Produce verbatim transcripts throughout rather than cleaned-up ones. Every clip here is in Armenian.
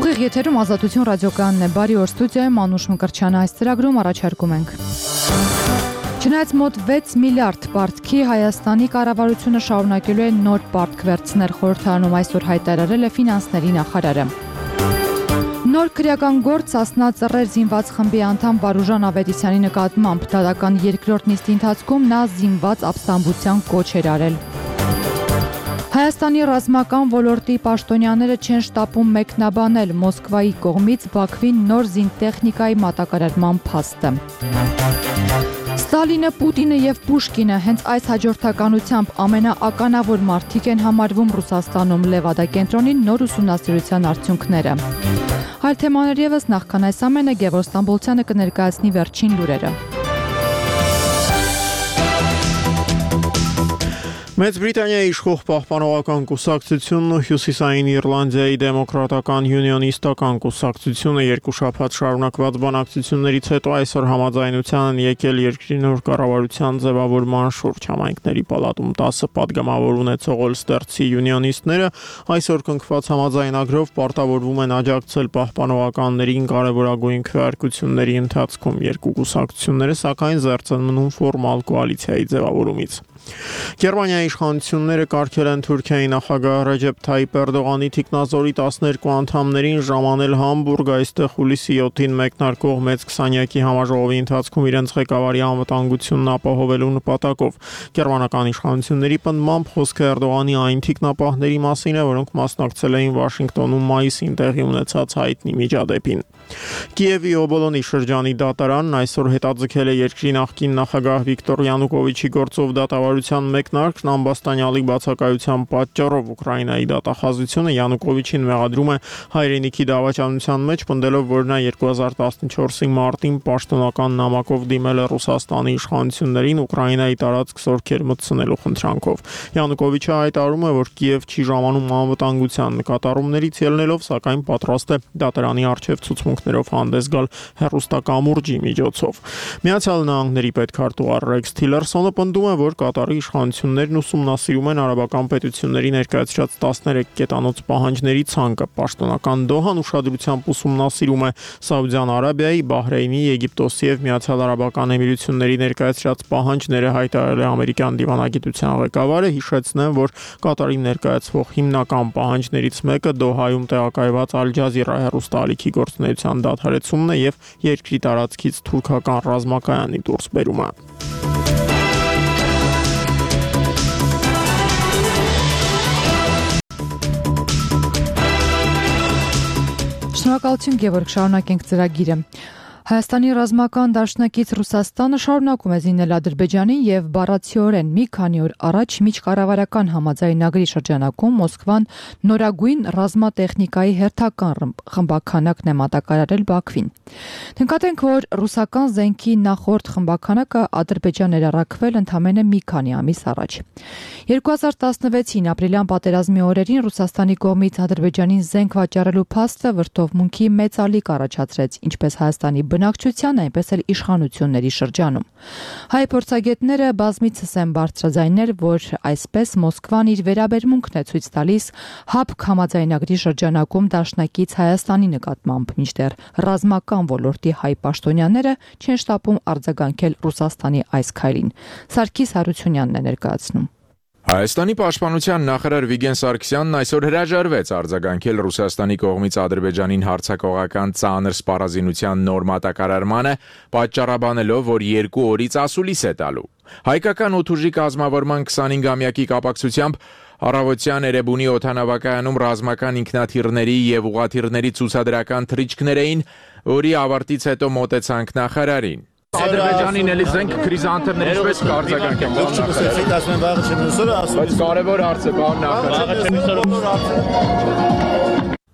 Ուղիղ եթերում Ազատություն ռադիոկայանն է, բարի օր, ստուդիայում Անուշ Մկրտչյանը, այս ծրագրում առաջարկում ենք. Չնայած մոտ վեց միլիարդ պարտքի, Հայաստանի կառավարությունը շարունակելու է նոր պարտք վերցնել, խորհրդարանում այսօր հայտարարել է ֆինանսների նախարարը։ Նոր քրեական գործ Սասնա Ծռեր զինված խմբի անդամ Վարուժան Ավետիսյանի նկատմամբ դատական երկրորդ նիստի ընթացքում նա զինված ապստամբության կոչ էր արել։ Հայաստանի ռազմական ոլորտի պաշտոնյաները չեն շտապում մեկնաբանել Մոսկվայի կողմից Բաքվին նոր զինտեխնիկայի մատակարարման փաստը։ Ստալինը, Պուտինը եւ Պուշկինը հենց այս հաջորդականությամբ ամենաականավոր մարդիկ են համարվում Ռուսաստանում, Լևադա կենտրոնի նոր ուսումնասիրության արդյունքները։ Այլ թեմաներ ևս, նախքան այս ամենը Գևորգ Ստամբոլցյանը կներկայացնի վերջին լուրերը։ Մեծ Բրիտանիայի իշխող պահպանողական կուսակցությունն ու Հյուսիսային Իռլանդիայի դեմոկրատական յունիոնիստական կուսակցությունը երկու շաբաթ շարունակված բանակցություններից հետո այսօր համաձայնության են եկել երկրի նոր կառավարության ձևավորման շուրջ։ Համայնքների պալատում տասը պատգամավոր ունեցող Օլստերցի յունիոնիստները այսօր կնքված համաձայնագրով պարտավորվում են աջակցել պահպանողականներին կարևորագույն քվեարկությունների ընթացքում։ Երկու կուսակցությունները սակայն զերծ են մնում ֆորմալ կոալիցիայի ձևավորումից։ Գերմանիայի իշխանությունները կարգել են Թուրքիայի նախագահ Ռեջեփ Թայիփ Էրդողանի թիկնազորի տասներկու անդամներին ժամանել Համբուրգ, այստեղ հուլիսի յոթին մեկնարկող մեծ քսանյակի համաժողովի ընթացքում իրենց ղեկավարի անվտանգությունն ապահովելու նպատակով։ Գերմանական իշխանությունների պնդմամբ խոսքը Էրդողանի այն թիկնապահների մասին է, որոնք մասնակցել էին Վաշինգտոնում մայիսին տեղի ունեցած հայտնի միջադեպին։ Կիևի Օբոլոնի շրջանի դատարանն այսօր հետաձգել է երկրի նախկին նախագահ Վիկտոր Յանուկովիչի գործով դատավարության մեկնարկն ամբաստանյալի բացակայության պատճառով Ուկրաինայի դատախազությունը Յանուկովիչին մեղադրում է հայրենիքի դավաճանության մեջ, պնդելով, որ նա երկու հազար տասնչորսի մարտին պաշտոնական նամակով դիմել է Ռուսաստանի իշխանություններին Ուկրաինայի տարածք զորքեր մտցնելու խնդրանքով։ Յանուկովիչը հայտարարում է, որ Կիև չի ժամանում անվտանգության նկատառումներից ելնելով, սակայն պատրաստ է դատարանի առջև ցուցմունքներով հանդես գալ հեռուստակամուրջի միջոցով։ Միացյալ Նահանգների պետքարտուղար Ռեքս Թիլերսոնը պնդում է, որ Կատարի իշխանություններն ուսումնասիրում են արաբական պետությունների ներկայացրած տասներեք կետանոց պահանջների ցանկը։ Պաշտոնական Դոհան ուշադրությամբ ուսումնասիրում է Սաուդյան Արաբիայի, Բահրեյնի, Եգիպտոսի եւ Միացյալ Արաբական Էմիրությունների ներկայացրած պահանջները, հայտարարել է ամերիկյան դիվանագիտության ղեկավարը, հիշեցնեմ, որ Կատարի ներկայացվող հիմնական պահանջներից մեկը Դոհայում տեղակայված Ալ Ջազիրա հեռուստաալիքի գործունեության դադարեցումն է եւ երկրի տարածքից թուրքական ռազմակայանի դուրսբերումը։ Շնորհակալություն Գևորգ, շարունակենք ծրագիրը։ Հայաստանի ռազմական դաշնակից Ռուսաստանը շարունակում է զինել Ադրբեջանին եւ բառացիորեն մի քանի օր առաջ միջկառավարական համաձայնագրի շրջանակում Մոսկվան նորագույն ռազմատեխնիկայի հերթական խմբաքանակն է մատակարարել Բաքվին։ Նկատենք, որ ռուսական զենքի նախորդ խմբաքանակը Ադրբեջան էր առաքվել ընդամենը մի քանի ամիս առաջ։ երկու հազար տասնվեցին ապրիլյան պատերազմի օրերին Ռուսաստանի կողմից Ադրբեջանին զենք վաճառելու փաստը վրդովմունքի մեծ ալիք առաջացրեց, ինչպես Հայաստանի բնակչության, այնպես էլ իշխանությունների շրջանում։ Հայ փորձագետները բազմիցս են բարձրաձայնել, որ այսպես Մոսկվան իր վերաբերմունքն է ցույց տալիս ՀԱՊԿ համաձայնագրի շրջանակում դաշնակից Հայաստանի նկատմամբ, մինչդեռ ռազմական ոլորտի հայ պաշտոնյաները չեն շտապում արձագանքել Ռուսաստանի այս քայլին։ Սարգիս Հարությունյանն է ներկայացնում։ Հայաստանի պաշտպանության նախարար Վիգեն Սարգսյանն այսօր հրաժարվեց արձագանքել Ռուսաստանի կողմից Ադրբեջանին հարձակողական ծանր սպառազինության նոր մատակարարմանը, պատճառաբանելով, որ երկու օրից ասուլիս է տալու։ Հայկական օդուժի կազմավորման քսանհինգամյակի կապակցությամբ առավոտյան Էրեբունի օդանավակայանում ռազմական ինքնաթիռների եւ ուղաթիռների ցուցադրական թռիչքներ էին, որի ավարտից հետո մոտեցանք նախարարին։ Ադրբեջանին էլի զենք քրիզանտերներ ինչպես կարձագանքեն բան նախարար։ Բայց կարևոր հարց է բան նախարար։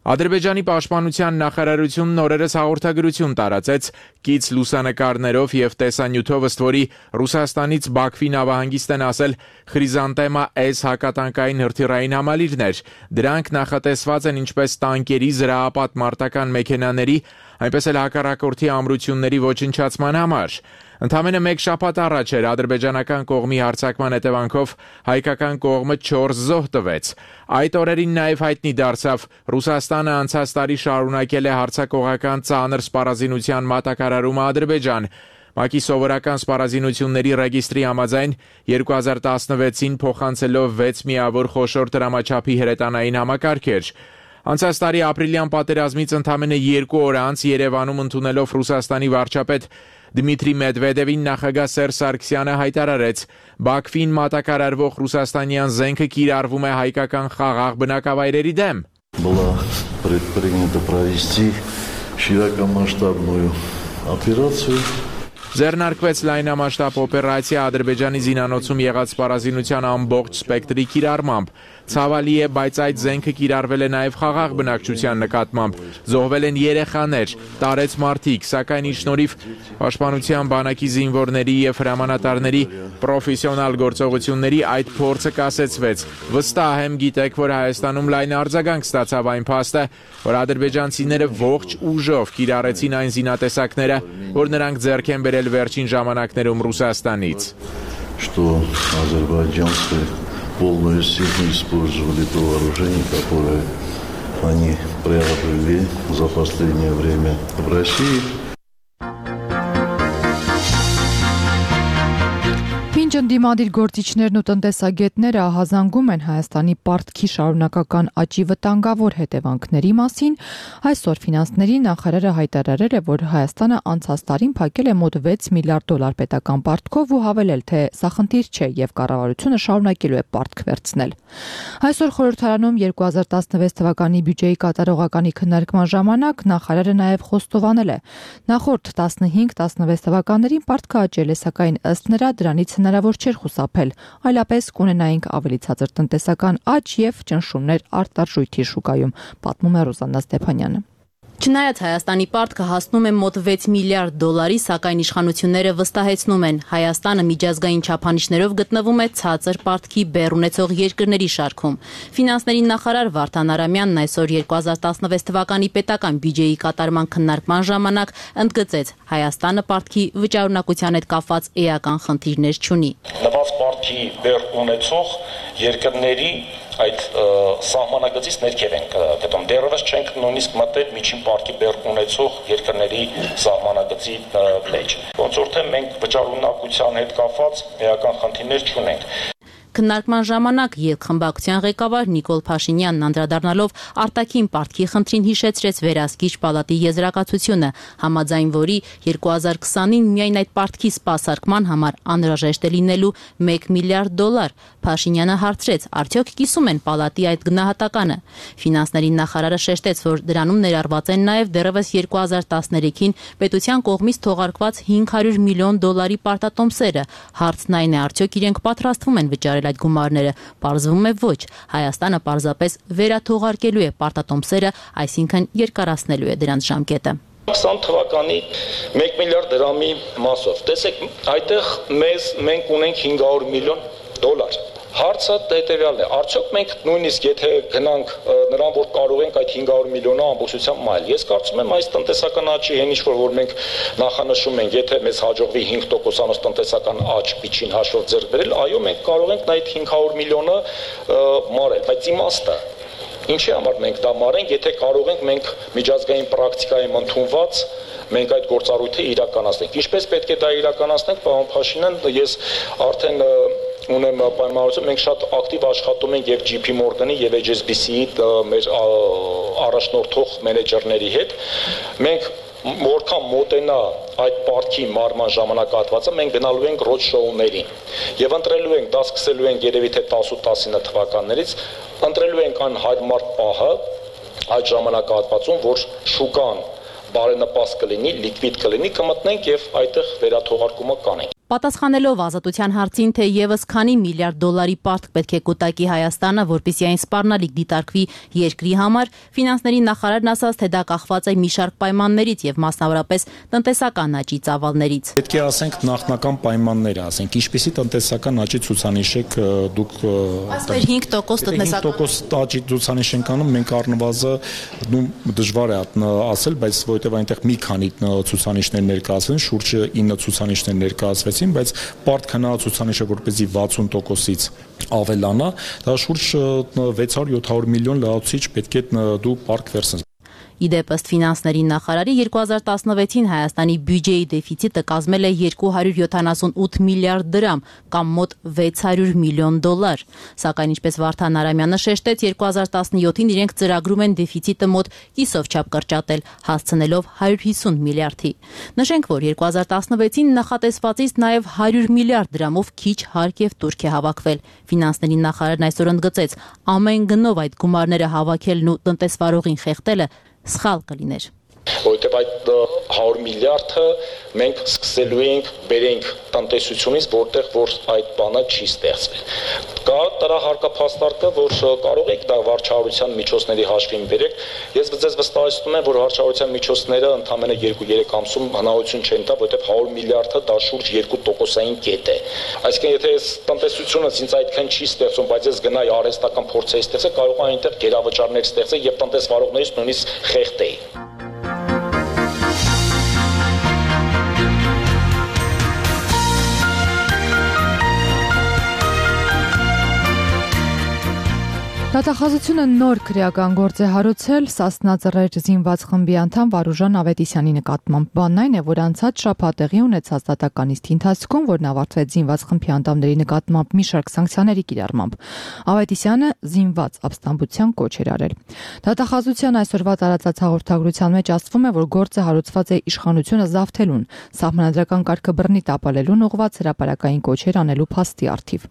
Ադրբեջանի պաշտպանության նախարարությունն օրերս հաղորդագրություն տարածեց կից լուսանկարներով եւ տեսանյութով, ըստ որի Ռուսաստանից Բաքվի նավահանգիստ են ասել Խրիզանտեմա S հակատանկային հրթիռային համալիրներ։ Դրանք նախատեսված են ինչպես տանկերի, զրահապատ մարտական մեքենաների, այնպես էլ հակառակորդի ամրությունների ոչնչացման համար։ Ընդամենը մեկ շաբաթ առաջ էր ադրբեջանական կողմի հարձակման հետևանքով հայկական կողմը չորս զոհ տվեց։ Այդ օրերին նաև հայտնի դարձավ Ռուսաստանը անցած տարի շարունակել է հարձակողական ծանր սպառազինության մատակարարումը Ադրբեջան։ ՄԱԿ-ի սովորական սպառազինությունների ռեգիստրի համաձայն երկու հազար տասնվեցին փոխանցելով վեց միավոր խոշոր դրամաչափի հրետանային համակարգեր։ Անցած տարի ապրիլյան պատերազմից ընդամենը երկու օր անց Երևանում ընդունելով Ռուսաստանի վարչապետ Դմիտրի Մեդվեդևին նախագահ Սերժ Սարգսյանը հայտարարեց. Բաքվին մատակարարվող ռուսաստանյան զենքը կիրառվում է հայկական խաղաղ բնակավայրերի դեմ։ Была предпринято провести широкомасштабную операцию. Ձեռնարկվեց լայնամասշտաբ օպերացիա Ադրբեջանի զինանոցում եղած սպառազինության ամբողջ սպեկտրի կիրառմամբ։ Ցավալի է, բայց այդ զենքը կիրառվել է նաև խաղաղ բնակչության նկատմամբ։ Զոհվել են երեխաներ, տարեց մարդիկ, սակայն ի շնորհիվ Պաշտպանության բանակի զինվորների եւ հրամանատարների պրոֆեսիոնալ գործողությունների այդ փորձը կասեցվեց։ Վստահ եմ, գիտեք, որ Հայաստանում լայն արձագանք ստացավ այն փաստը, որ ադրբեջանցիները ողջ ուժով կիրառեցին այն զինատեսակները, որ նրանք ձեռք են բերել վերջին ժամանակներում Ռուսաստանից։ Что азербайджанцы полную силу использовали то вооружение, которое они приобрели за последнее время в России. Մինչ ընդդիմադիր գործիչներն ու տնտեսագետները ահազանգում են Հայաստանի պարտքի շարունակական աճի վտանգավոր հետևանքների մասին, այսօր ֆինանսների նախարարը հայտարարել է, որ Հայաստանը անցած տարին փակել է մոտ վեց միլիարդ դոլար պետական պարտքով ու հավելել, թե սա խնդիր չէ եւ կառավարությունը շարունակելու է պարտք վերցնել։ Այսօր խորհրդարանում երկու հազար տասնվեց թվականի բյուջեի կատարողականի քննարկման ժամանակ նախարարը նաեւ խոստովանել է. նախորդ տասնհինգ տասնվեց թվականներին պարտքը աճել է, սակայն ըստ նրա դրանից հնարավոր չէր խուսափել, այլապես կունենայինք ավելի ցածր տնտեսական աճ եւ ճնշումներ արտարժույթի շուկայում, պատմում է Ռոզաննա Ստեփանյանը։ Չնայած Հայաստանի պարտքը հասնում է մոտ վեց միլիարդ դոլարի, սակայն իշխանությունները վստահեցնում են, Հայաստանը միջազգային չափանիշներով գտնվում է ցածր պարտքի բեռ ունեցող երկրների շարքում։ Ֆինանսների նախարար Վարդան Արամյանն այսօր երկու հազար տասնվեց թվականի պետական բյուջեի կատարման քննարկման ժամանակ ընդգծեց, Հայաստանը պարտքի վճարունակության հետ կապված էական խնդիրներ չունի։ Նվազ պարտքի բեռ ունեցող երկրների այդ սահմանագծից ներքև ենք գտնում։ Դեռևս չենք նույնիսկ մտել միջին պարտքի բեռ ունեցող երկրների սահմանագծի մեջ։ Ոնց որ թե մենք վճարունակության հետ կապված էական խնդիրներ չունենք։ Քննարկման ժամանակ երկխմբակցության ղեկավար Նիկոլ Փաշինյանն անդրադառնալով արտաքին պարտքի խնդրին հիշեցրեց Վերահսկիչ պալատի եզրակացությունը, համաձայն որի երկու հազար քսանին միայն այդ պարտքի սպասարկման համար անհրաժեշտ է լինելու մեկ միլիարդ դոլար։ Փաշինյանը հարցրեց, արդյոք կիսում են պալատի այդ գնահատականը։ Ֆինանսների նախարարը շեշտեց, որ դրանում ներառված են նաև դեռևս երկու հազար տասներեքին պետության կողմից թողարկված հինգ հարյուր միլիոն դոլարի պարտատոմսերը։ Հարցն այն է, արդյոք իրենք պատրաստվում են վճարել այդ գումարները, պարզվում է ոչ, Հայաստանը պարզապես վերաթողարկելու է պարտատոմսերը, այսինքն երկարացնելու է դրանց ժամկետը։ քսան թվականի մեկ միլիարդ դրամի մասով, տեսեք, այդտեղ մեզ մենք ունենք հինգ հարյուր միլիոն դոլար։ Հարցը հետևյալն է, արդյոք մենք նույնիսկ եթե գնանք նրան, որ կարող ենք այդ հինգ հարյուր միլիոնը ամբողջությամբ մայել, ես կարծում եմ այս տնտեսական աճի հեն ինչ-որ որ մենք նախանշում ենք, եթե մեզ հաջողվի հինգ տոկոսանոց տնտեսական աճ միջին հաշվով ձեռք բերել, այո, մենք կարող ենք այդ հինգ հարյուր միլիոնը մարել, բայց իմաստը ինչի համար մենք դա մարենք, եթե կարող ենք մենք միջազգային պրակտիկայում ընդունված մենք այդ գործառույթը իրականացնենք։ Ինչպես պետք է դա իրականացնենք, պարոն Փաշինյան, ես արդեն ունեմ պայմանավորություն, մենք շատ ակտիվ աշխատում ենք եւ ջի փի Morgan-ի եւ էյչ էս բի սի-ի մեր առաջնորդող մենեջերների հետ։ Մենք որքան մոտենա այդ պարտքի մարման ժամանակահատվածը, մենք գնալու ենք ռոդ շոուների եւ ընտրելու ենք, դա սկսելու ենք երևի թե տասը տասինը թվականներից, ընտրելու ենք այն հարմար պահը այդ ժամանակահատվածում, որ շուկան բարենպաստ կլինի, լիկվիդ կլինի, կմտնենք եւ այդտեղ վերաթողարկումը կանենք։ Պատասխանելով Ազատության հարցին, թե եւս քանի միլիարդ դոլարի պարտք պետք է կուտակի Հայաստանը, որպեսզի այն սպառնալիք դիտարկվի երկրի համար, ֆինանսների նախարարն ասաց, թե դա կախված է մի շարք պայմաններից եւ մասնավորապես տնտեսական աճի ծավալներից։ Պետք է ասենք նախնական պայմանները, ասենք ինչպիսի տնտեսական աճի ցուցանիշ եք դուք Այսպես հինգ տոկոս տնտեսական աճի ցուցանիշ ենք անում, մենք առնվազն ու դժվար է ասել, բայց որովհետեւ այնտեղ մի քանի ցուցանիշներ ներկայացվեն, շուրջ ինը ցուցանիշներ ներկայացվեցին, բայց պարտ քննած ցուցանիշը որպեսզի վաթսուն տոկոսից ավելանա, դա շուրջ վեց հարյուր յոթ հարյուր միլիոն լրացուցիչ պետք է դու պարկ վերցնես։ Իդեպ ըստ ֆինանսների նախարարի երկու հազար տասնվեցին Հայաստանի բյուջեի դեֆիցիտը կազմել է երկու հարյուր յոթանասունութ միլիարդ դրամ կամ մոտ վեց հարյուր միլիոն դոլար։ Սակայն ինչպես Վարդան Արամյանը շեշտեց, երկու հազար տասնյոթին իրենք ծրագրում են դեֆիցիտը մոտ կիսով չափ կրճատել, հասցնելով հարյուր հիսուն միլիարդի։ Նշենք, որ երկու հազար տասնվեցին նախատեսվածից նաև հարյուր միլիարդ դրամով քիչ հարկ եւ տուրք է հավաքվել։ Ֆինանսների նախարարն այսօր ընդգծեց, ամեն գնով այդ գումարները հավաքելն ու տնտեսվարողին խեղդելը սխալ կլիներ։ Որովհետև այդ հարյուր միլիարդը մենք սկսելու ենք բերենք տնտեսությունից, որտեղ որ այդ բանը չի ստեղծվել։ Կա դրա հարկափաստարկը, որ կարող եք դա վարչահարության միջոցների հաշվին բերեք։ Ես ձեզ վստահեցնում եմ, որ վարչահարության միջոցները ընդամենը երկու-երեք ամսում հնարավորություն չեն տա, որովհետև հարյուր միլիարդը դա շուրջ երկու տոկոսային կետ է։ Այսինքն, եթե այս տնտեսությունը ինձ այդքան չի ստեղծում, բայց ես գնայի արհեստական փորձեի ստեղծել, կարող է այնտեղ գերավճարներ ստեղծել եւ տնտեսվարողներից նույնիսկ խեղդեի։ Դատախազությունը նոր քրեական գործ է հարուցել Սասնա Ծռեր զինված խմբի անդամ Վարուժան Ավետիսյանի նկատմամբ։ Բանն այն է, որ անցած շաբաթ տեղի ունեցած դատական նիստի ընթացքում, որն ավարտվեց զինված խմբի անդամների նկատմամբ մի շարք սանկցիաների կիրառմամբ, Ավետիսյանը զինված ապստամբության կոչ էր արել։ Դատախազության այսօրվա տարածած հաղորդագրության մեջ ասվում է, որ գործը հարուցված է իշխանությունը զավթելուն, սահմանադրական կարգը բռնի տապալելուն ուղղված հրապարակային կոչեր անելու փաստի առթիվ։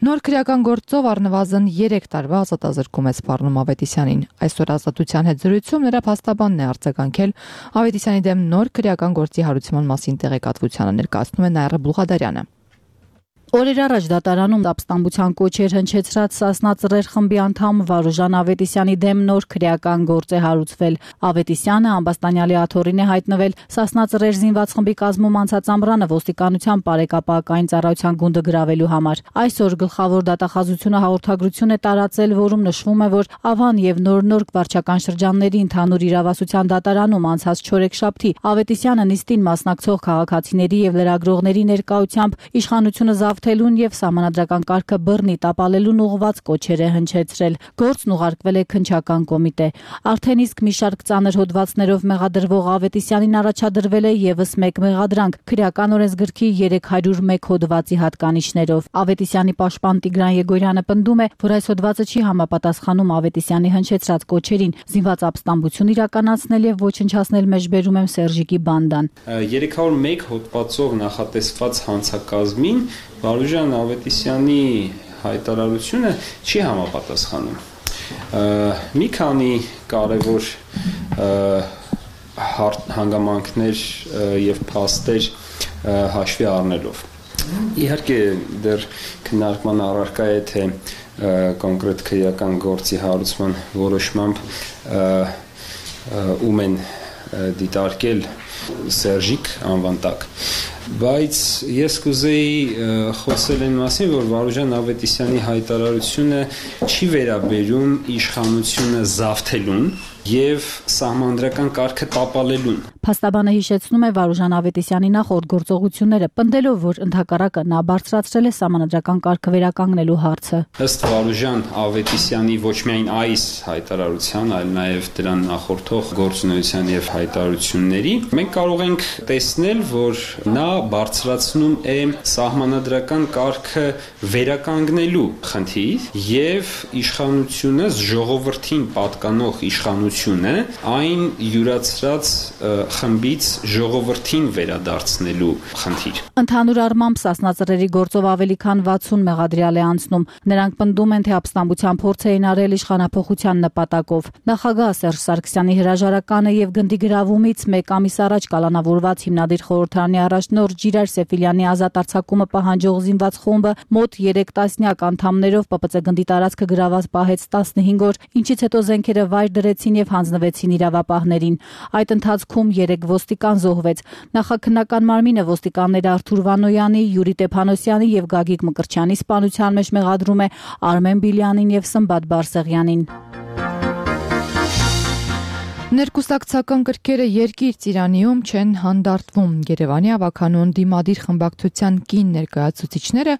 Նոր քրեական գործով առնվազն երեք տարվա ազատազրկում է սպառնում Ավետիսյանին։ Այսօր Ազատության հետ զրույցում նրա փաստաբանն է արձագանքել Ավետիսյանի դեմ նոր քրեական գործի հարուցման մասին տեղեկատվությանը, ներկայացնում է Նաիրա Բլուղադարյանը։ Օրեր առաջ դատարանում ապստամբության կոչեր հնչեցրած Սասնա Ծռեր խմբի անդամ Վարուժան Ավետիսյանի դեմ նոր քրեական գործ է հարուցվել։ Ավետիսյանը ամբաստանյալի աթոռին է հայտնվել Սասնա Ծռեր զինված խմբի կազմում անցած ամռանը ոստիկանության բարեկապակային ծառայության գունդը գրավելու համար։ Այսօր գլխավոր դատախազությունը հաղորդագրություն է տարածել, որում նշվում է, որ Ավան եւ Նոր-Նորք վարչական շրջանների ընդհանուր իրավասության դատարանում անցած չորեքշաբթի Ավետիսյանը նիստին մասնակցող քաղաքացիների եւ լրագրողների ներկայությամբ իշխանությունը զավթելուն եւ սահմանադրական կարգը բռնի տապալելուն ուղղված կոչեր է հնչեցրել։ Գործն ուղարկվել է քննչական կոմիտե։ Արդեն իսկ մի շարք ծանր հոդվածներով մեղադրվող Ավետիսյանին առաջադրվել է եւս մեկ մեղադրանք քրեական օրենսգրքի երեք հարյուր մեկ հոդվածի հատկանիշներով։ Ավետիսյանի պաշտպան Տիգրան Եգորյանը պնդում է, որ այս հոդվածը չի համապատասխանում Ավետիսյանի հնչեցրած կոչերին զինված ապստամբություն իրականացնել եւ ոչնչացնել մեջբերում եմ Սերժիկի բանդան։ երեք հարյուր մեկ հոդվածով նախատեսված հանցակազմին Վարուժան Ավետիսյանի հայտարարությունը չի համապատասխանում։ Մի քանի կարևոր հանգամանքներ եւ փաստեր հաշվի առնելով։ Իհարկե դեռ քննարկման առարկա է, թե կոնկրետ քրեական գործի հարուցման որոշմամբ ում են դիտարկել Սերժիկ անվան տակ։ Բայց ես կուզեի խոսել այն մասին, որ Վարուժան Ավետիսյանի հայտարարությունը չի վերաբերում իշխանությունը զավթելուն եւ սահմանադրական կարգը տապալելուն։ Փաստաբանը հիշեցնում է Վարուժան Ավետիսյանի նախորդ գործողությունները, պնդելով, որ ընդհակառակը նա բարձրացրել է սահմանադրական կարգը վերականգնելու հարցը։ Ըստ Վարուժան Ավետիսյանի ոչ միայն այս հայտարարության, այլ նաեւ դրան նախորդող գործունեության եւ հայտարարությունների, մենք կարող ենք տեսնել, որ նա բարձրացնում է սահմանադրական կարգը վերականգնելու խնդիր եւ իշխանությունը ժողովրդին պատկանող իշխանություն ուղղությունը այն յուրացրած խմբից ժողովրդին վերադարձնելու խնդիր։ Ընդհանուր առմամբ Սասնածռերի գործով ավելի քան վաթսուն մեղադրյալ է անցնում։ Նրանք պնդում են, թե ապստամբության փորձ էին արել իշխանափոխության նպատակով։ Նախագահ Սերժ Սարգսյանի հրաժարականը եւ գնդի գրավումից մեկ ամիս առաջ կալանավորված հիմնադիր խորհրդարանի առաջնորդ Ժիրայր Սեֆիլյանի ազատ արձակումը պահանջող զինված խումբը մոտ երեք տասնյակ անդամներով Պ Պ Ծ գնդի տարածքը գրաված պահեց տասնհինգ օր, ինչից հետո զենքերը վայր դրեցին եւ հանձնվեցին իրավապահներին։ Այդ ընթացքում երեք ոստիկան զոհվեց։ Նախաքննական մարմինը ոստիկանները Արթուր Վանոյանի, Յուրի Տեփանոսյանի եւ Գագիկ Մկրտչյանի սպանության մեջ մեղադրում է Արմեն Բիլյանին եւ Սմբատ Բարսեղյանին։ Ներկուսակցական կրքերը երկիր ծիրանիում չեն հանդարտվում։ Երևանի ավականուն դիմադիր խմբակցության կին ներկայացուցիչները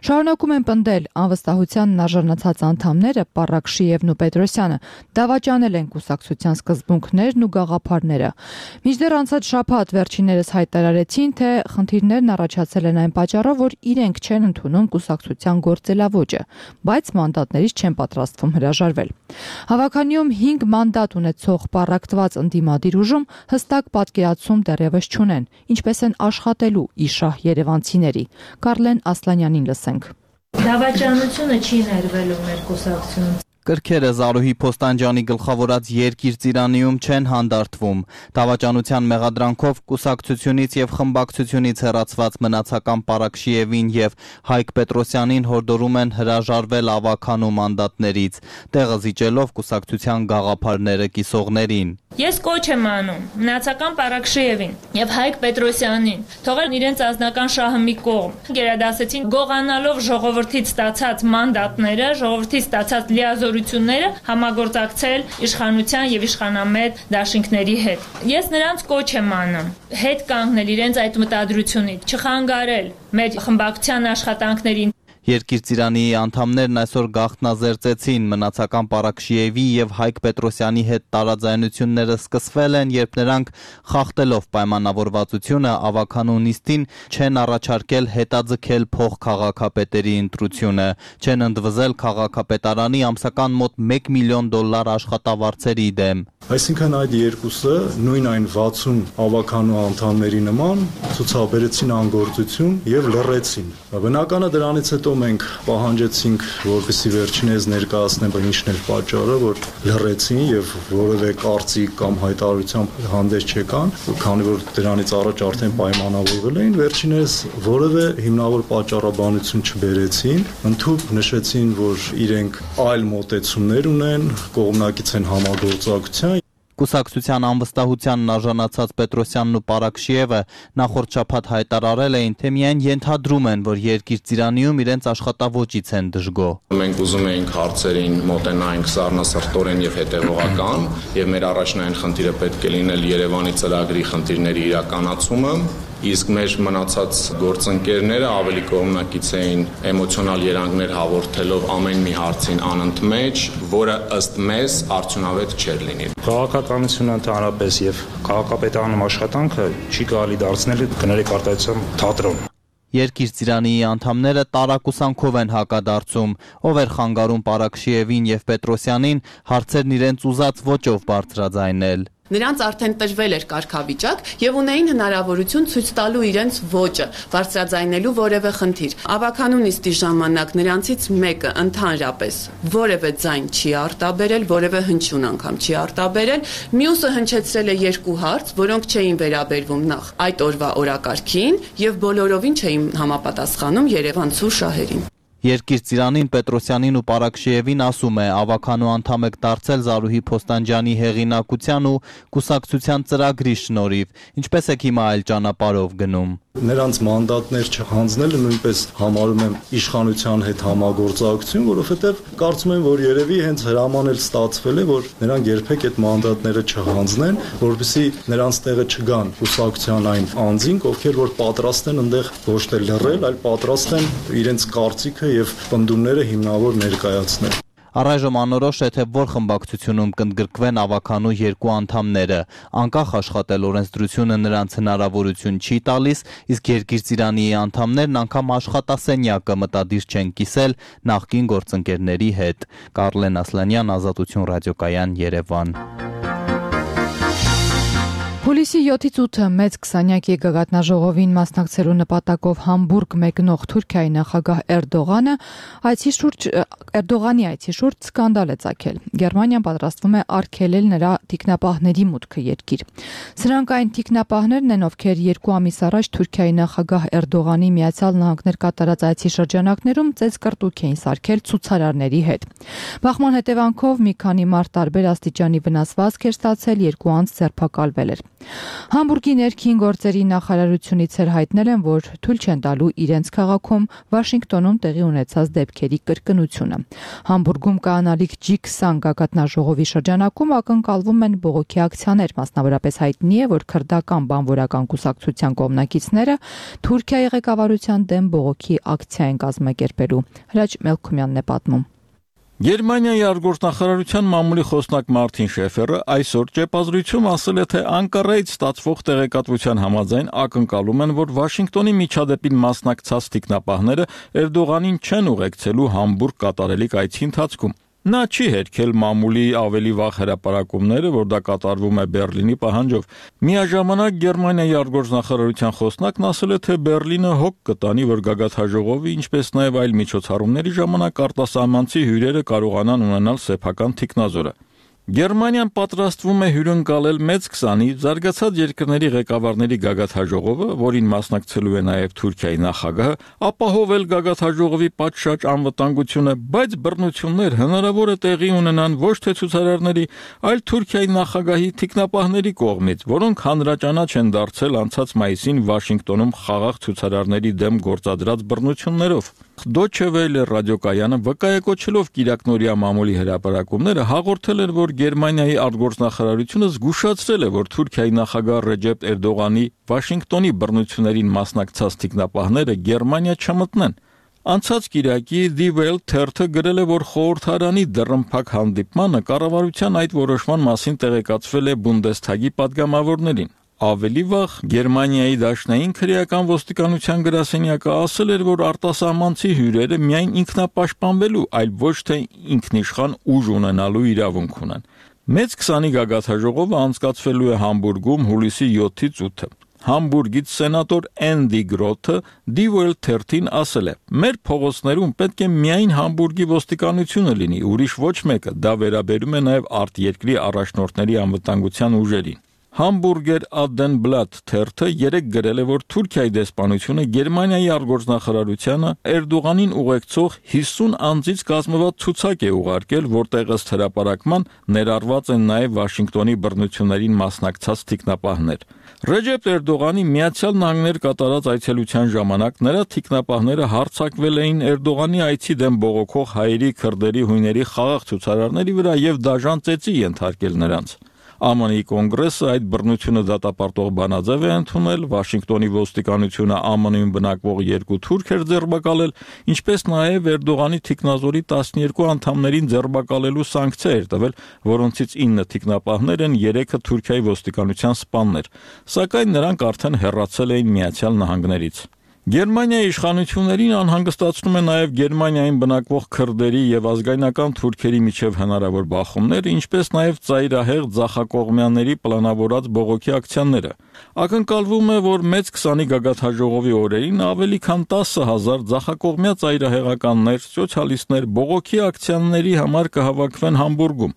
շարունակում են պնդել անվստահության արժանացած անդամները Պառակշիևն ու Պետրոսյանը դավաճանել են կուսակցության սկզբունքներն ու գաղափարները։ Մինչդեռ անցած շաբաթ վերջիններս հայտարարեցին, թե խնդիրներն առաջացել են այն պատճառով, որ իրենք չեն ընդունում կուսակցության գործելավոճը, բայց մանդատներից չեն պատրաստվում հրաժարվել։ Հավաքանիում հինգ մանդատ ունեցող պառակտված ընդդիմադիր ուժում հստակ պատկերացում դեռևս չունեն, ինչպես են աշխատելու իշահ երևանցիների։ Կարլեն Ասլանյանին լսենք։ Դավաճանությունը չի ներվելու մեր կուսակցությունից։ Կրքերը Զարուհի Փոստանջյանի գլխավորած երկիր ծիրանիում չեն հանդարտվում։ Դավաճանության մեղադրանքով կուսակցությունից եւ խմբակցությունից հեռացված մնացական Պառակշիևին եւ Հայկ Պետրոսյանին հորդորում են հրաժարվել ավականու մանդատներից, տեղը զիջելով կուսակցության գաղափարները կիսողներին։ Ես կոչ եմ անում մնացական Պառակշիևին եւ Հայկ Պետրոսյանին թողել իրենց անձնական շահը մի կողմ։ Գերադասեցին գողանալով ժողովրդից ստացած մանդատները, ժողովրդից ստացած լիազորությունները համագործակցել իշխանության եւ իշխանամետ դաշինքների հետ։ Ես նրանց կոչ եմ անում հետ կանգնել իրենց այդ մտադրությունից, չխանգարել մեր խմբակցության աշխատանքներին։ Երկիր ծիրանիի անդամներն այսօր գաղտնազերծեցին մնացական Պառակշիևի եւ Հայկ Պետրոսյանի հետ տարաձայնությունները սկսվել են, երբ նրանք խախտելով պայմանավորվածությունը ավականու նիստին չեն առաջարկել հետաձգել փոխքաղաքապետերի ընտրությունը, չեն ընդվզել քաղաքապետարանի ամսական մոտ մեկ միլիոն դոլար աշխատավարձերի դեմ։ Այսինքն այդ երկուսը նույն այն վաթսուն ավականու անդամների նման ցուցաբերեցին անգործություն եւ լռեցին։ Բնականը դրանից հետո մենք պահանջեցինք, որպեսզի վերջինս ներկայացնեն ինչն էր պատճառը, որ լռեցին եւ որևէ կարծիք կամ հայտարարությամբ հանդես չեկան, քանի որ դրանից առաջ արդեն պայմանավորվել էին, վերջինս որևէ հիմնավոր պատճառաբանություն չբերեցին, ընդհանուր նշեցին, որ իրենք այլ մոտեցումներ ունեն, կողմնակից են համագործակցության։ Կուսակցության անվստահությանն արժանացած Պետրոսյանն ու Պառակշիևը նախորդ շաբաթ հայտարարել էին, թե միայն ենթադրում են, որ երկիր ծիրանիում իրենց աշխատավոճից են դժգոհ։ Մենք ուզում էինք հարցերին մոտենայինք սառնասրտորեն եւ հետեւողական, եւ մեր առաջնային խնդիրը պետք է լինել Երևանի ծրագրի խնդիրների իրականացումը, իսկ մեր մնացած գործընկերները ավելի կողմնակից էին էմոցիոնալ երանգներ հաղորդելով ամեն մի հարցին անընդմեջ, որը ըստ մեզ արդյունավետ չէր լինի։ Քաղաքականությունը ընդհանրապես եւ քաղաքապետարանում աշխատանքը չի կարելի դարձնել կներեք արտահայտության թատրոն։ Երկիր ծիրանիի անդամները տարակուսանքով են հակադարձում, ով էր խանգարում Պառակշիևին եւ Պետրոսյանին հարցերն իրենց ուզած ոճով բարձրաձայնել։ Նրանց արդեն տրվել էր կարգավիճակ եւ ունեին հնարավորություն ցույց տալու իրենց ոճը, բարձրաձայնելու որևէ խնդիր։ Ավականու նիստի ժամանակ նրանցից մեկը ընդհանրապես որևէ ձայն չի արտաբերել, որևէ հնչյուն անգամ չի արտաբերել, մյուսը հնչեցրել է երկու հարց, որոնք չէին վերաբերվում նախ այդ օրվա օրակարգին եւ բոլորովին չէին համապատասխանում երևանցու շահերին։ Երկիր ծիրանին Պետրոսյանին ու Պառակշիևին ասում է ավականու անդամ եք դարձել Զարուհի Փոստանջյանի հեղինակության ու կուսակցության ծրագրի շնորհիվ, ինչպես եք հիմա այլ ճանապարհով գնում։ Նրանց մանդատներ չհանձնելը նույնպես համարում եմ իշխանության հետ համագործակցություն, որովհետև կարծում եմ, որ երևի հենց հրաման էլ ստացվել է, որ նրանք երբեք այդ մանդատները չհանձնեն, որպեսզի նրանց տեղը չգան կուսակցության այն անձինք, ովքեր որ պատրաստ են այնտեղ ոչ թե լռել, այլ պատրաստ են իրենց կարծիքը եւ պնդումները հիմնավոր ներկայացնել։ Առայժմ անորոշ է, թե որ խմբակցությունում կընդգրկվեն ավականու երկու անդամները, անկախ աշխատել օրենսդրությունը նրանց հնարավորություն չի տալիս, իսկ երկիր ծիրանիի անդամներն անգամ աշխատասենյակը մտադիր չեն կիսել նախկին գործընկերների հետ։ Կարլեն Ասլանյան, Ազատություն ռադիոկայան, Երևան։ Հուլիսի յոթից ութը մեծ քսանյակի գագաթնաժողովին մասնակցելու նպատակով Համբուրգ մեկնող Թուրքիայի նախագահ Էրդողանը այցի շուրջ Էրդողանի այցի շուրջ սկանդալ է ծագել։ Գերմանիան պատրաստվում է արգելել նրա թիկնապահների մուտքը երկիր։ Սրանք այն թիկնապահներն են, ովքեր երկու ամիս առաջ Թուրքիայի նախագահ Էրդողանի Միացյալ Նահանգներ կատարած այցի շրջանակներում ծեծկռտուք էին սարքել ցուցարարների հետ։ Բախման հետևանքով մի քանի մարդ տարբեր աստիճանի վնասվածք էր ստացել, երկու անձ ձերբակալվել էր։ Համբուրգի ներքին գործերի նախարարությունից էր հայտնել են, որ թույլ չեն տալու իրենց քաղաքում Վաշինգտոնում տեղի ունեցած դեպքերի կրկնությունը։ Համբուրգում կանալիք ջի քսան գագաթնաժողովի շրջանակում ակնկալվում են բողոքի ակցիաներ, մասնավորապես հայտնի է, որ քրդական բանվորական կուսակցության կողմնակիցները Թուրքիայի ղեկավարության դեմ բողոքի ակցիա են կազմակերպելու։ Հրաչ Մելքումյանն է պատմում։ Գերմանիայի արտգործնախարարության մամուլի խոսնակ Մարտին Շեֆերը այսօր ճեպազրույցում ասել է, թե Անկարայից ստացվող տեղեկատվության համաձայն ակնկալում են, որ Վաշինգտոնի միջադեպին մասնակցած թիկնապահները Էրդողանին չեն ուղեկցելու Համբուրգ կատարելիք այցի ընթացքում։ Նա չի հերքել մամուլի ավելի վաղ հրապարակումները, որ դա կատարվում է Բերլինի պահանջով։ Միաժամանակ Գերմանիայի արտգործնախարարության խոսնակն ասել է, թե Բերլինը հոգ կտանի, որ գագաթնաժողովի, ինչպես նաև այլ միջոցառումների ժամանակ արտասահմանցի հյուրերը կարողանան ունենալ սեփական թիկնազորը։ Գերմանիան պատրաստվում է հյուրընկալել մեծ քսանի զարգացած երկրների ղեկավարների գագաթնաժողովը, որին մասնակցելու է նաև Թուրքիայի նախագահը, ապահովել գագաթնաժողովի պատշաճ անվտանգությունը, բայց բռնություններ հնարավոր է տեղի ունենան ոչ թե ցուցարարների, այլ Թուրքիայի նախագահի թիկնապահների կողմից, որոնք հանրաճանաչ են դարձել անցած մայիսին Վաշինգտոնում խաղաղ ցուցարարների դեմ գործադրած բռնություններով։ Դոյչե Վելե ռադիոկայանը վկայակոչելով Կիրակնորիա մամուլի հրապարակումները հաղորդել էր, որ Գերմանիայի արտգործնախարարությունը զգուշացրել է, որ Թուրքիայի նախագահ Ռեջեփ Էրդողանի Վաշինգտոնի բռնություններին մասնակցած թիկնապահները Գերմանիա չմտնեն։ Անցած Կիրակի Die Welt թերթը գրել է, որ խորհրդարանի դռնփակ հանդիպմանը կառավարության այդ որոշման մասին տեղեկացվել է Բունդեսթագի падգամավորներին։ Ավելի վաղ Գերմանիայի դաշնային քրեական ոստիկանության գրասենյակը ասել էր, որ արտասահմանցի հյուրերը միայն ինքնապաշտպանվելու, այլ ոչ թե ինքնիշխան ուժ ունենալու իրավունք ունեն։ Մեծ քսանի գագաթնաժողովը անցկացվելու է Համբուրգում հուլիսի յոթից ութը։ Համբուրգից սենատոր Էնդի Գրոթը Die Welt թերթին ասել է. «Մեր փողոցներում պետք է միայն Համբուրգի ոստիկանությունը լինի, ուրիշ ոչ մեկը, դա վերաբերում է նաև արտերկրի առաջնորդների անվտանգության ուժերին»։ Hamburger Abendblatt թերթը երեկ գրել է, որ Թուրքիայի դեսպանությունը Գերմանիայի արտգործնախարարությանը Էրդողանին ուղեկցող հիսուն անձից կազմված ցուցակ է ուղարկել, որտեղ ըստ հրապարակման ներառված են նաև Վաշինգտոնի բռնություններին մասնակցած թիկնապահներ։ Ռեջեփ Էրդողանի Միացյալ Նահանգներ կատարած այցելության ժամանակ նրա թիկնապահները հարձակվել էին Էրդողանի այցի դեմ բողոքող հայերի, քրդերի, հույների խաղաղ ցուցարարների վրա եւ դաժան ծեծի ենթարկել նրանց։ Է Մ Ն-ի կոնգրեսը այդ բռնությունը դատապարտող բանաձև է ընդունել, Վաշինգտոնի ոստիկանությունը Է Մ Ն-ում բնակվող երկու թուրք էր ձերբակալել, ինչպես նաև Էրդողանի թիկնազորի տասներկու անդամներին ձերբակալելու սանկցիա էր տվել, որոնցից ինը թիկնապահներ են, երեքը Թուրքիայի ոստիկանության սպաներ, սակայն նրանք արդեն հեռացել էին Միացյալ Նահանգներից։ Գերմանիայի իշխանություններին անհանգստացնում է նաև Գերմանիային բնակվող քրդերի եւ ազգայնական թուրքերի միջև հնարավոր բախումներ, ինչպես նաև ծայրահեղ ձախակողմյանների պլանավորած բողոքի ակցիաները։ Ակնկալվում է, որ մեծ քսանի գագաթնաժողովի օրերին ավելի քան տասը հազար ձախակողմյա ծայրահեղականներ, սոցիալիստներ բողոքի ակցիաների համար կհավաքվեն Համբուրգում։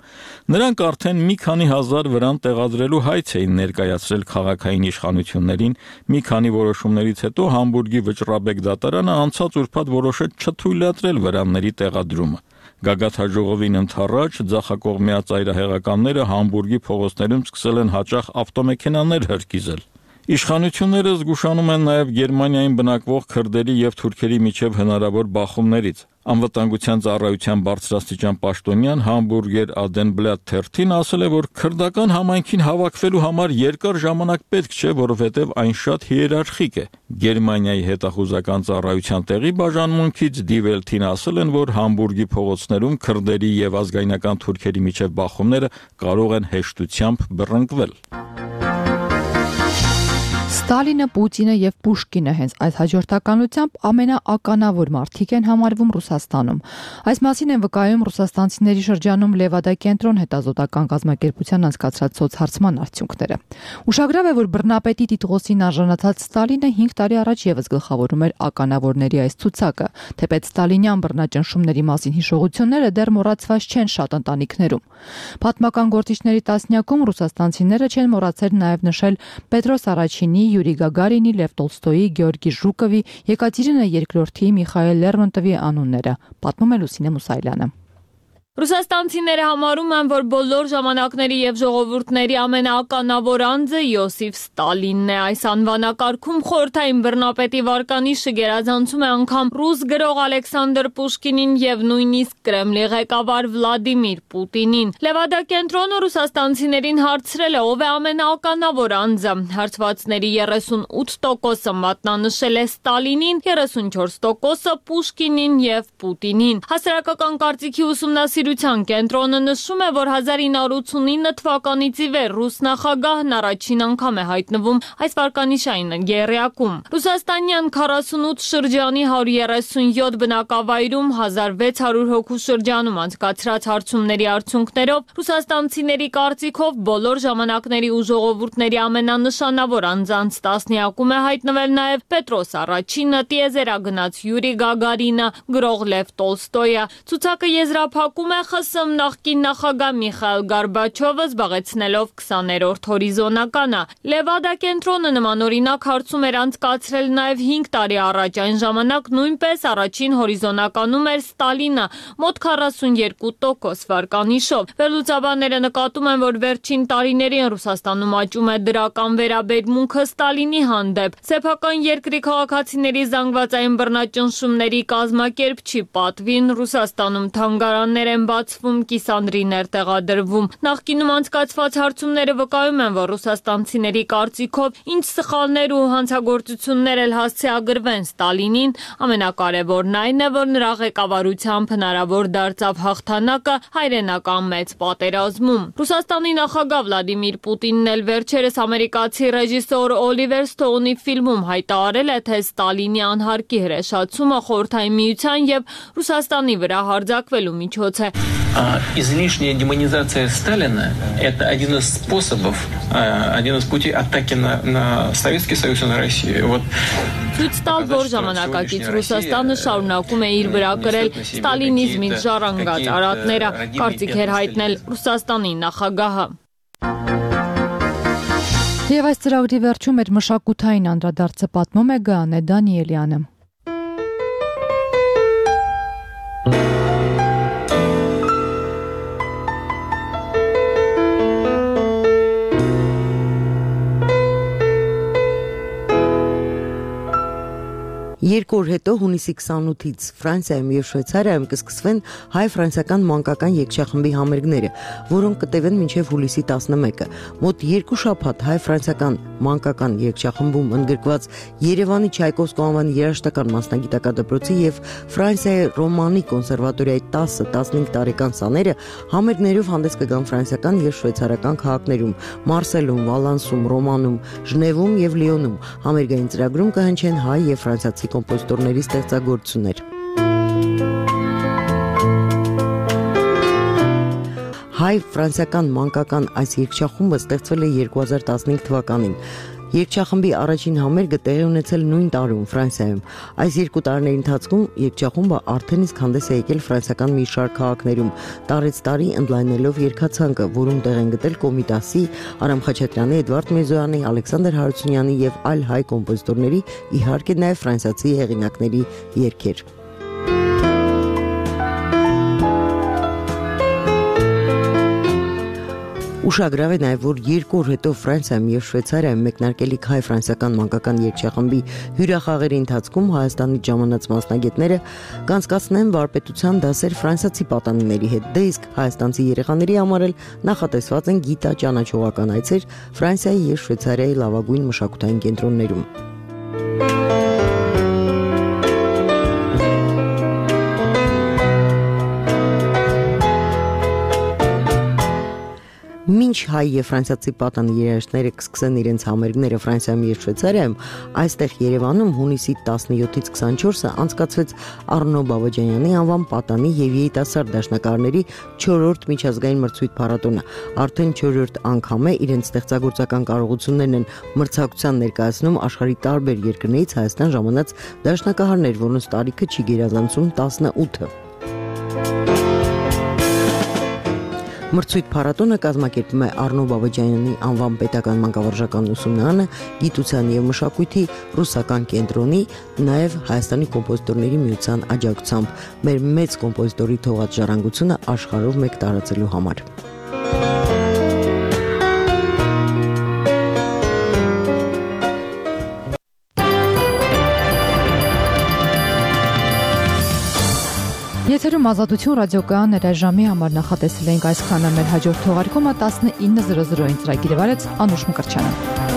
Նրանք արդեն մի քանի հազար վրան տեղադրելու հայց էին ներկայացրել քաղաքային իշխանություններին, մի քանի որոշումներից հետո Համբուրգի վճռաբեկ դատարանը անցած ուրբաթ որոշեց չթույլատրել վրանների տեղադրումը։ Գագաթնաժողովին ընդառաջ ձախակողմյա ծայրահեղականները Համբուրգի փողոցներում սկսել են հաճախ ավտոմեքենաներ հրկիզել։ Իշխանությունները զգուշանում են նաև Գերմանիային բնակվող քրդերի եւ թուրքերի միջև հնարավոր բախումներից։ Անվտանգության ծառայության բարձրաստիճան պաշտոնյան Hamburger Abendblatt թերթին ասել է, որ քրդական համայնքին հավաքվելու համար երկար ժամանակ պետք չէ, որովհետև այն շատ հիերարխիկ է։ Գերմանիայի հետախուզական ծառայության տեղի բաժանմունքից Die Welt-ին ասել են, որ Համբուրգի փողոցներում քրդերի եւ ազգայնական թուրքերի միջև բախումները կարող են հեշտությամբ բռնկվել։ Ստալինը, Պուտինը եւ Պուշկինը հենց այս հաջորդականությամբ ամենաականավոր մարդիկ են համարվում Ռուսաստանում։ Այս մասին են վկայում ռուսաստանցիների շրջանում Լևադա կենտրոն հետազոտական կազմակերպության անցկացրած սոցհարցման արդյունքները։ Ուշագրավ է, որ բռնապետի տիտղոսին արժանացած Ստալինը հինգ տարի առաջ եւս գլխավորում էր ականավորների այս ցուցակը, թեպետ ստալինյան բռնաճնշումների մասին հիշողությունները դեռ մոռացված չեն շատ ընտանիքներում։ Պատմական գործիչների տասնյակում ռուսաստանցիները չեն մոռացել նաև նշել Պետրոս Առաջինի, Յուրի Գագարինի, Լև Տոլստոյի, Գեորգի Ժուկովի, Եկատերինա երկրորդի, Միխայել Լերմոնտովի անունները, պատմում է Լուսինե Մուսայելյանը։ Ռուսաստանցիները համարում են, որ բոլոր ժամանակների եւ ժողովուրդների ամենաականավոր անձը Յոսիֆ Ստալինն է։ Այս անվանակարգում խորհրդային բռնապետի վարկանիշը գերազանցում է անգամ ռուս գրող Ալեքսանդր Պուշկինին եւ նույնիսկ Կրեմլի ղեկավար Վլադիմիր Պուտինին։ Լևադա կենտրոնը ռուսաստանցիներին հարցրել է, ով է ամենաականավոր անձը։ Հարցվածների երեսունութ տոկոսը մատնանշել է Ստալինին, երեսունչորս տոկոսը Պուշկինին եւ Պուտինին։ Հասարակական կարծիքի ուսումնասիրության կենտրոնը նշում է, որ հազար ինը հարյուր ութսունինը թվականից ի վեր ռուս նախագահն առաջին անգամ է հայտնվում այս վարկանիշային եռյակում։ Ռուսաստանյան քառասունութ շրջանի հարյուր երեսունյոթ բնակավայրում հազար վեց հարյուր հոգու շրջանում անցկացրած հարցումների արդյունքներով ռուսաստանցիների կարծիքով բոլոր ժամանակների ու ժողովուրդների ամենանշանավոր անձանց տասնյակում է հայտնվել նաև Պետրոս Առաջինը, տիեզերագնաց Յուրի Գագարինը, գրող Լև Տոլստոյը։ Ցուցակը եզրափակում է ԽՍՀՄ նախկին նախագահ Միխայիլ Գորբաչովը, զբաղեցնելով քսաներորդ հորիզոնականը։ Լևադա կենտրոնը նմանօրինակ հարցում էր անցկացրել նաև հինգ տարի առաջ, այն ժամանակ նույնպես առաջին հորիզոնականում էր Ստալինը, մոտ քառասունյոթ տոկոս վարկանիշով։ Վերլուծաբանները նկատում են, որ վերջին տարիներին Ռուսաստանում աճում է դրական վերաբերմունքը Ստալինի հանդեպ։ Սեփական երկրի քաղաքացիների զանգվածային բռնաճնշումների կազմակերպչի պատվին Ռուսաստանում թանգարաններ են բացվում, կիսանդրիներ տեղադրվում։ Նախկինում անցկացված հարցումները վկայում են, որ ռուսաստանցիների կարծիքով ինչ սխալներ ու հանցագործություններ էլ հասցեագրվեն Ստալինին, ամենակարևորն այն է, որ նրա ղեկավարությամբ հնարավոր դարձավ հաղթանակը հայրենական մեծ պատերազմում։ Ռուսաստանի նախագահ Վլադիմիր Պուտինն էլ վերջերս ամերիկացի ռեժիսոր Օլիվեր Սթոունի ֆիլմում հայտարարել է, թե Ստալինի անհարկի հրեշացումը Խորհրդային Միության եւ Ռուսաստանի վրա հարձակվելու միջոց է։ Излишняя демонизация Сталина – это один из способов, один из путей атаки на, на Советский Союз и на Россию. Вот. Ցույց տալ, որ ժամանակակից Ռուսաստանը շարունակում է իր վրա կրել ստալինիզմից ժառանգած արատները, կարծիք էր հայտնել Ռուսաստանի նախագահը։ Եվ այս ծրագրի վերջում էր մշակութային անդրադարձը պատմում է Գանե Դանիելյանը։ Երկու օր հետո հունիսի քսանութից Ֆրանսիայում եւ Շվեյցարիայում կսկսվեն հայ-ֆրանսիական մանկական երգչախմբի համերգները, որոնք կտևեն մինչև հուլիսի տասնմեկը։ Մոտ երկու շաբաթ հայ-ֆրանսիական մանկական երգչախմբում ընդգրկված Երևանի Չայկովսկու անվանի երաժշտական մասնագիտական դպրոցի եւ Ֆրանսիայի Ռոմանի կոնսերվատորիայի տասը տասնհինգ տարեկան սաները համերգներով հանդես կգան ֆրանսիական եւ շվեյցարական քաղաքներում՝ Մարսելում, Վալանսում, Ռոմանում, Ժնևում եւ Լիոնում։ Համերգային ծրագրում կհնչեն հայ եւ ֆրանսիացի կոմպոզիտորների ստեղծագործություններ։ Հայ-ֆրանսիական մանկական այս երգչախումբը ստեղծվել է երկու հազար տասնհինգ թվականին։ Երգչախմբի առաջին համերգը տեղի ունեցել նույն տարում Ֆրանսիայում։ Այս երկու տարիների ընթացքում երգչախումբը արդեն իսկ հանդես է եկել ֆրանսիական մի շարք քաղաքներում, տարեց տարի ընդլայնելով երգացանկը, որում տեղ են գտել Կոմիտասի, Արամ Խաչատրյանի, Էդվարդ Մեզոյանի, Ալեքսանդր Հարությունյանի եւ այլ հայ կոմպոզիտորների, իհարկե նաեւ ֆրանսիացի հեղինակների երգեր։ Ուշագրավ է նաև, որ երկու օր հետո Ֆրանսիայում եւ Շվեյցարիայում մեկնարկելիք հայ-ֆրանսիական մանկական երգչախմբի հյուրախաղերի ընթացքում Հայաստանից ժամանած մասնագետները կանցկացնեն վարպետության դասեր ֆրանսիացի պատանիների հետ։ Դե իսկ հայաստանցի երեխաների համար էլ նախատեսված են գիտա ճանաչողական այցեր Ֆրանսիայի եւ Շվեյցարիայի լավագույն մշակութային կենտրոններում։ Մինչ հայ եւ ֆրանսիացի պատանի երաժիշտները կսկսեն իրենց համերգները Ֆրանսիայում եւ Շվեյցարիայում, այստեղ Երևանում հունիսի տասնյոթից քսանչորսը անցկացվեց Առնո Բաբաջանյանի անվան պատանի եւ երիտասարդ դաշնակահարների չորրորդ միջազգային մրցույթ փառատոնը։ Արդեն չորրորդ անգամ է իրենց ստեղծագործական կարողություններն են մրցակցության ներկայացնում աշխարհի տարբեր երկրներից Հայաստան ժամանած դաշնակահարներ, որոնց տարիքը չի գերազանցում տասնութը։ Մրցույթ փառատոնը կազմակերպում է Առնո Բաբաջանյանի անվան պետական մանկավարժական ուսումնարանը, գիտության եւ մշակույթի ռուսական կենտրոնի, նաեւ Հայաստանի կոմպոզիտորների միության աջակցությամբ մեր մեծ կոմպոզիտորի թողած ժառանգությունը աշխարհով մեկ տարածելու համար։ Եթերում Ազատություն ռադիոկայան ներաժամի համար նախատեսել էինք այսքանը, մեր հաջորդ թողարկումը տասնինը զրո զրոին ծրագիրը վարեց Անուշ Մկրտչյանը։